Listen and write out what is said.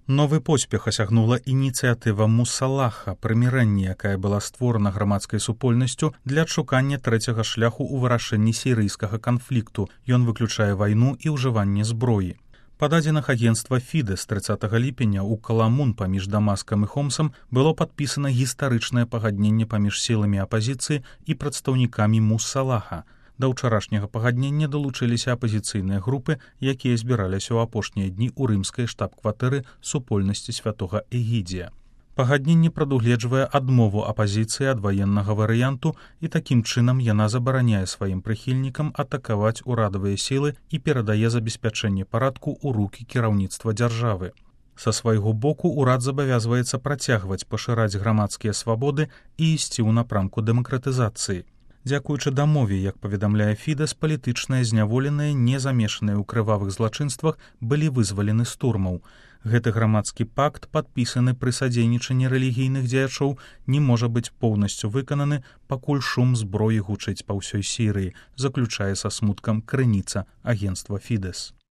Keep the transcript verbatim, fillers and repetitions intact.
Новы поспех асягнула ініцыятыва Мусалаха, прымірэнне, якая была створана грамадскай супольнасцю для адшукання трэцяга шляху ў вырашэнні сірыйскага канфлікту. Ён выключае вайну і ўжыванне зброі. Па дадзеных агенцтва Фідэс трыццатага ліпеня ў Каламун паміж Дамаскам і Хомсам было падпісана гістарычнае пагадненне паміж сіламі апазіцыі і прадстаўнікамі Мусалаха. Да ўчарашняга пагаднення далучыліся апазіцыйныя групы, якія збіраліся ў апошнія дні ў рымскай штаб-кватэры супольнасці святога Эгідзія. Пагадненне прадугледжвае адмову апазіцыі ад ваеннага варыянту, і такім чынам яна забараняе сваім прыхільнікам атакаваць урадавыя сілы і перадае забеспячэнне парадку ў рукі кіраўніцтва дзяржавы. Са свайго боку ўрад забавязваецца працягваць пашыраць грамадскія свабоды і ісці ў напрамку дэмакратызацыі. Дзякуючы дамове, як паведамляе Фідэс, палітычныя зняволеныя, не замешаныя ў крывавых злачынствах, былі вызвалены з турмаў. Гэты грамадскі пакт, падпісаны пры садзейнічанні рэлігійных дзеячоў, не можа быць поўнасцю выкананы, пакуль шум зброі гучыць па ўсёй Сірыі, заключае са смуткам крыніца агенцтва Фідэс.